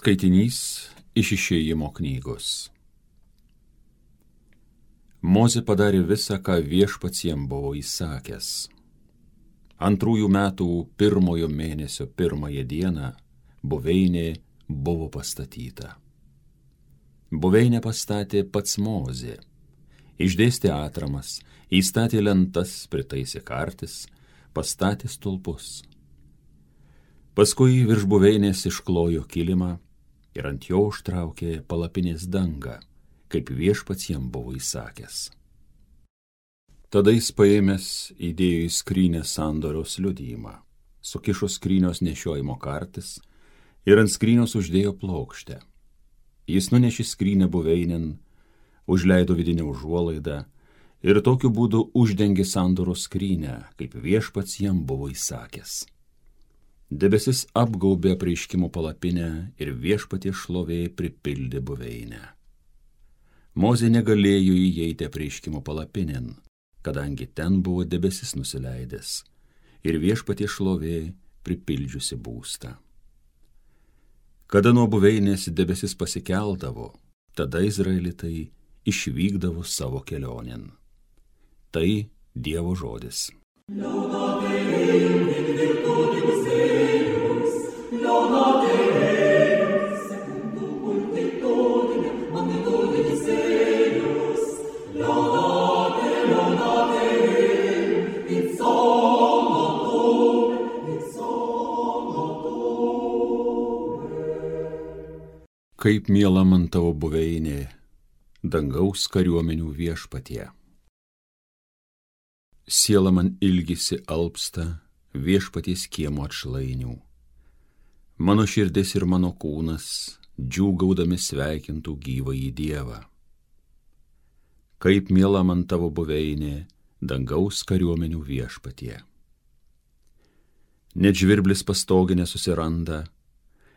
Skaitinys iš Išėjimo knygos. Mozė padarė visą, ką Viešpats jam buvo įsakęs. 2 metų 1 mėnesio 1 dieną buveinė buvo pastatyta. Buveinę pastatė pats Mozė. Išdėstė atramas, įstatė lentas, pritaisė kartis, pastatė stulpus. Paskui virš buveinės išklojo kilimą ir ant jo užtraukė palapinės dangą, kaip Viešpats jam buvo įsakęs. Tada jis paėmęs įdėjo į skrynę sandoriaus liudijimą, sukišo skrynios nešiojimo kartis ir ant skrynios uždėjo plokštę. Jis nunešė skrynę buveinėn, užleido vidinę užuolaidą ir tokiu būdu uždengė sandoros skrynę, kaip Viešpats jam buvo įsakęs. Debesis apgaubė apreiškimo palapinę ir Viešpaties šlovė pripildė buveinę. Mozė negalėjo įeiti apreiškimo palapinėn, kadangi ten buvo debesis nusileidęs ir Viešpaties šlovė pripildžiusi būstą. Kada nuo buveinės debesis pasikeldavo, tada izraelitai išvykdavo savo kelionėn. Tai Dievo žodis. Kaip miela man tavo buveinė, dangaus kariuomenių Viešpatie. Siela man ilgisi alpsta Viešpaties kiemo atšlainių. Mano širdis ir mano kūnas džiūgaudami sveikintų gyvąjį Dievą. Kaip miela man tavo buveinė, dangaus kariuomenių Viešpatie. Net žvirblis pastoginė susiranda,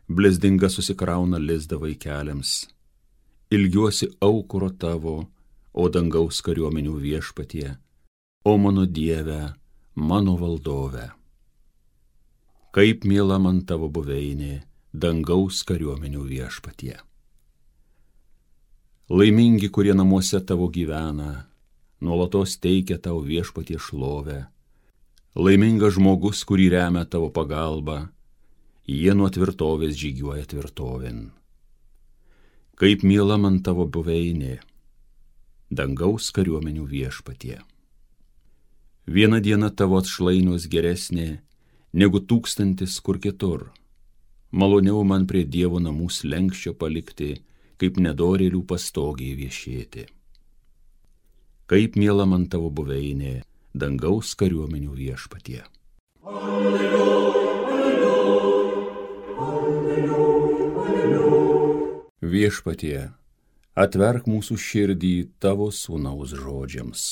blezdinga susikrauna lizdą vaikeliams. Ilgiuosi aukuro tavo, o dangaus kariuomenių Viešpatie, o mano Dieve, mano valdove. Kaip miela man tavo buveinė, dangaus kariuomenių Viešpatie. Laimingi, kurie namuose tavo gyvena, nuolatos teikia tau Viešpatie šlovę. Laimingas žmogus, kurį remia tavo pagalba, jie nuo tvirtovės žygiuoja tvirtovin. Kaip miela man tavo buveinė, dangaus kariuomenių Viešpatie. Viena diena tavo atšlainius geresnė negu 1000 kur kitur. Maloniau man prie Dievo namų slenksčio palikti, kaip nedorėlių pastogiai viešėti. Kaip miela man tavo buveinė, dangaus kariuomenių Viešpatie. Viešpatie, atverk mūsų širdį tavo sūnaus žodžiams.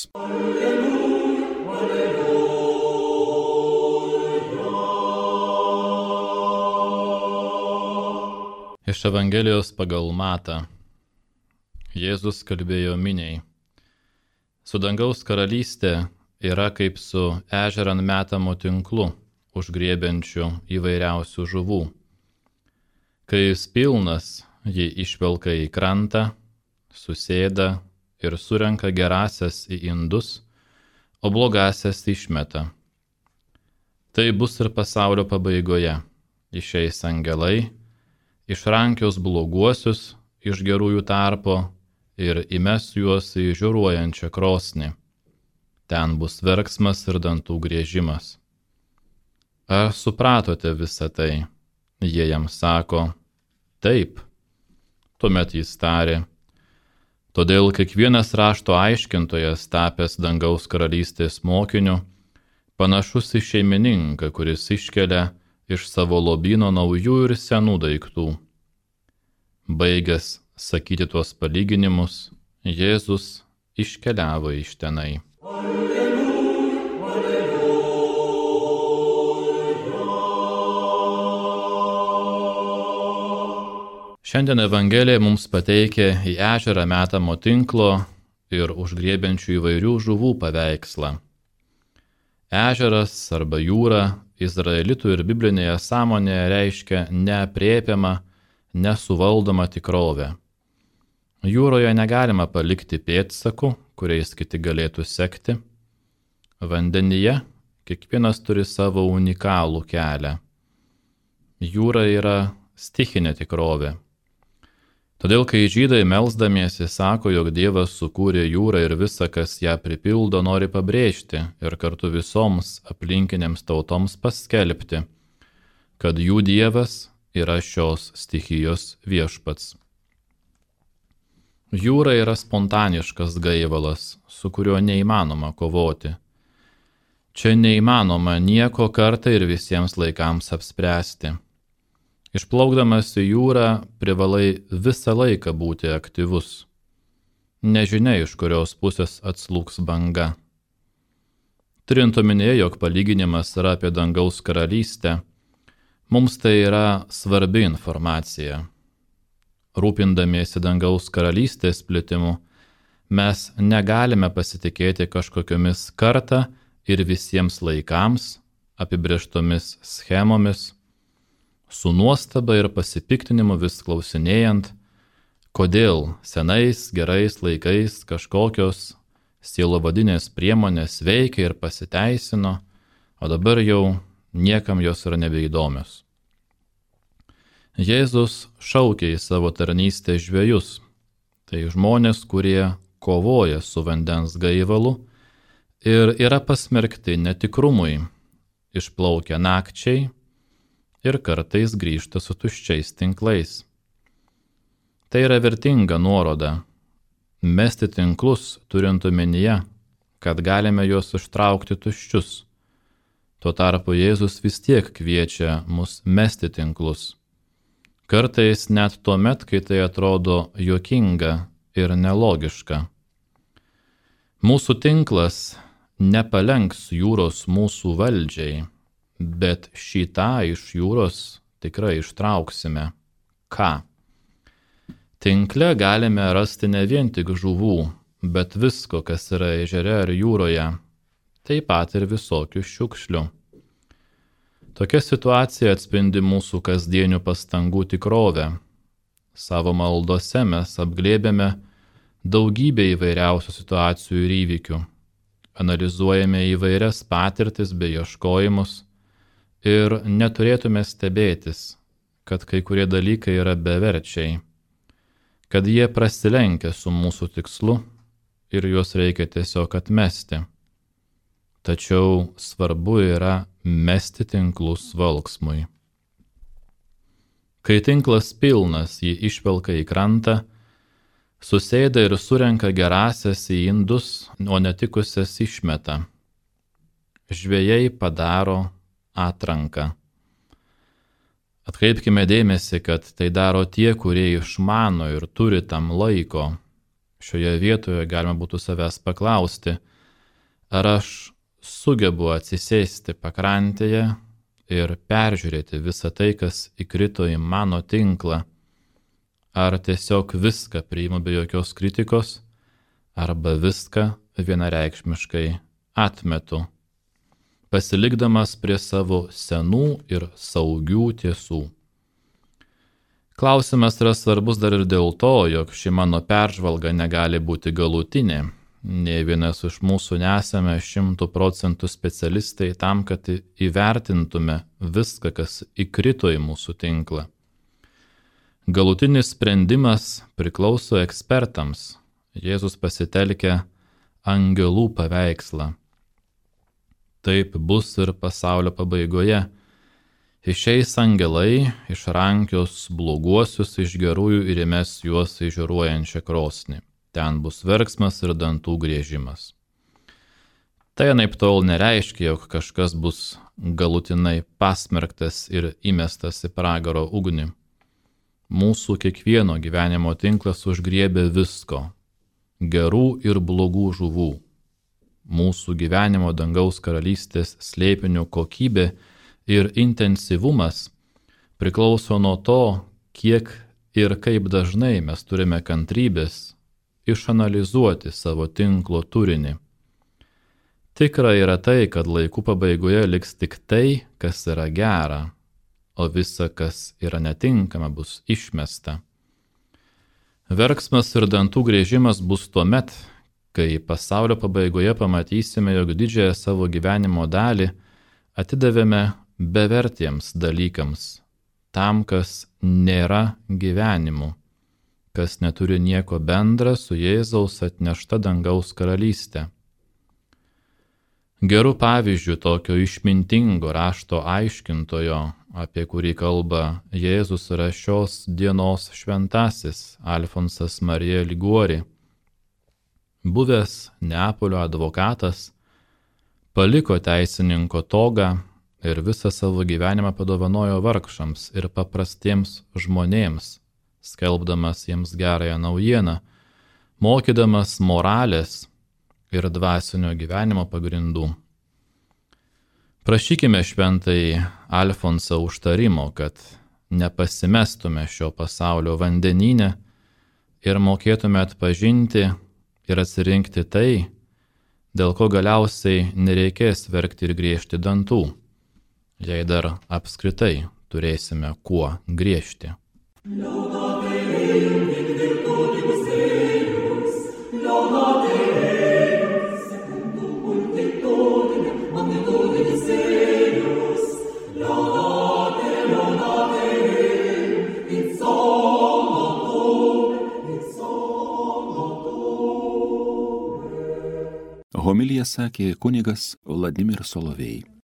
Iš Evangelijos pagal Matą. Jėzus kalbėjo miniai. Su dangaus karalystė yra kaip su ežeran metamu tinklu, užgriebiančiu įvairiausių žuvų. Kai jis pilnas, jį išvelka į krantą, susėda ir surenka gerasias į indus, o blogasias išmeta. Tai bus ir pasaulio pabaigoje. Išeis angelai, išrankios bloguosius iš gerųjų tarpo ir įmes juos į žiūruojančią krosnį. Ten bus verksmas ir dantų griežimas. Ar supratote visą tai? Jie jam sako, taip. Tuomet jis tarė, todėl kiekvienas rašto aiškintojas tapęs dangaus karalystės mokiniu, panašus į šeimininką, kuris iškelia iš savo lobyno naujų ir senų daiktų. Baigęs sakyti tuos palyginimus, Jėzus iškeliavo iš tenai. Šiandien Evangelija mums pateikia į ežerą metamo tinklo ir užgriebiančių įvairių žuvų paveikslą. Ežeras arba jūra izraelitų ir biblinėje sąmonėje reiškia neaprėpiamą, nesuvaldoma tikrovė. Jūroje negalima palikti pėdsakų, kuriais kiti galėtų sekti. Vandenyje kiekvienas turi savo unikalų kelią. Jūra yra stichinė tikrovė. Todėl, kai žydai melsdamiesi sako, jog Dievas sukūrė jūrą ir visa, kas ją pripildo, nori pabrėžti ir kartu visoms aplinkinėms tautoms paskelbti, kad jų Dievas yra šios stichijos viešpats. Jūra yra spontaniškas gaivalas, su kuriuo neįmanoma kovoti. Čia neįmanoma nieko kartą ir visiems laikams apspręsti. Išplaukdamas į jūrą privalai visą laiką būti aktyvus. Nežinia, iš kurios pusės atslūgs banga. Turint omenyje, jog palyginimas yra apie dangaus karalystę, mums tai yra svarbi informacija. Rūpindamiesi dangaus karalystės plitimu, mes negalime pasitikėti kažkokiomis kartą ir visiems laikams apibrėžtomis schemomis, su nuostaba ir pasipiktinimu vis klausinėjant, kodėl senais gerais laikais kažkokios sielovadinės priemonės veikia ir pasiteisino, o dabar jau niekam jos yra nebeįdomios. Jėzus šaukė į savo tarnystę žvejus, tai žmonės, kurie kovoja su vandens gaivalu ir yra pasmerkti netikrumui, išplaukia nakčiai ir kartais grįžta su tuščiais tinklais. Tai yra vertinga nuoroda. Mesti tinklus turint omenyje, kad galime juos ištraukti tuščius. Tuo tarpu Jėzus vis tiek kviečia mus mesti tinklus. Kartais net tuomet, kai tai atrodo juokinga ir nelogiška. Mūsų tinklas nepalenks jūros mūsų valdžiai, bet šitą iš jūros tikrai ištrauksime. Ką? Tinkle galime rasti ne vien tik žuvų, bet visko, kas yra ežere ar jūroje, taip pat ir visokių šiukšlių. Tokia situacija atspindi mūsų kasdienių pastangų tikrovę. Savo maldose mes apglėbėme daugybę įvairiausių situacijų ir įvykių. Analizuojame įvairias patirtis bei ieškojimus ir neturėtume stebėtis, kad kai kurie dalykai yra beverčiai, kad jie prasilenkia su mūsų tikslu ir juos reikia tiesiog atmesti. Tačiau svarbu yra mesti tinklus valksmui. Kai tinklas pilnas, jį išvelka į krantą, susėda ir surenka gerąsias į indus, o netikusias išmeta. Žvejai padaro atranką. Atkreipkime dėmesį, kad tai daro tie, kurie išmano ir turi tam laiko. Šioje vietoje galima būtų savęs paklausti, ar aš sugebu atsisėsti pakrantėje ir peržiūrėti visą tai, kas įkrito į mano tinklą, ar tiesiog viską priimu be jokios kritikos, arba viską vienareikšmiškai atmetu, pasilikdamas prie savo senų ir saugių tiesų. Klausimas yra svarbus dar ir dėl to, jog ši mano peržvalga negali būti galutinė. Nė vienas iš mūsų nesame 100% specialistai tam, kad įvertintume viską, kas įkrito į mūsų tinklą. Galutinis sprendimas priklauso ekspertams. Jėzus pasitelkia angelų paveikslą. Taip bus ir pasaulio pabaigoje. Išeis angelai, išrankios bloguosius iš gerųjų ir įmes juos į žiūruojančią krosnį. Ten bus verksmas ir dantų griežimas. Tai anaiptol nereiškia, jog kažkas bus galutinai pasmerktas ir įmestas į pragaro ugnį. Mūsų kiekvieno gyvenimo tinklas užgriebė visko, gerų ir blogų žuvų. Mūsų gyvenimo dangaus karalystės slėpinių kokybė ir intensyvumas priklauso nuo to, kiek ir kaip dažnai mes turime kantrybės išanalizuoti savo tinklo turinį. Tikra yra tai, kad laikų pabaigoje liks tik tai, kas yra gera. o visa, kas yra netinkama, bus išmesta. Verksmas ir dantų griežimas bus tuomet, kai pasaulio pabaigoje pamatysime, jog didžiąją savo gyvenimo dalį atidavėme bevertiems dalykams, tam, kas nėra gyvenimu, kas neturi nieko bendra su Jėzaus atnešta dangaus karalystė. Gerų pavyzdžių tokio išmintingo rašto aiškintojo, apie kurį kalba Jėzus, yra šios dienos šventasis Alfonsas Marija Liguori. Buvęs Neapolio advokatas, paliko teisininko togą ir visą savo gyvenimą padovanojo vargšams ir paprastiems žmonėms, skelbdamas jiems gerąją naujieną, mokydamas moralės ir dvasinio gyvenimo pagrindų. Prašykime šventai Alfonsą užtarimo, kad nepasimestume šio pasaulio vandenyne ir mokėtume atpažinti ir atsirinkti tai, dėl ko galiausiai nereikės verkti ir griežti dantų, jei dar apskritai turėsime kuo griežti. Homiliją sakė kunigas Vladimir Solovej.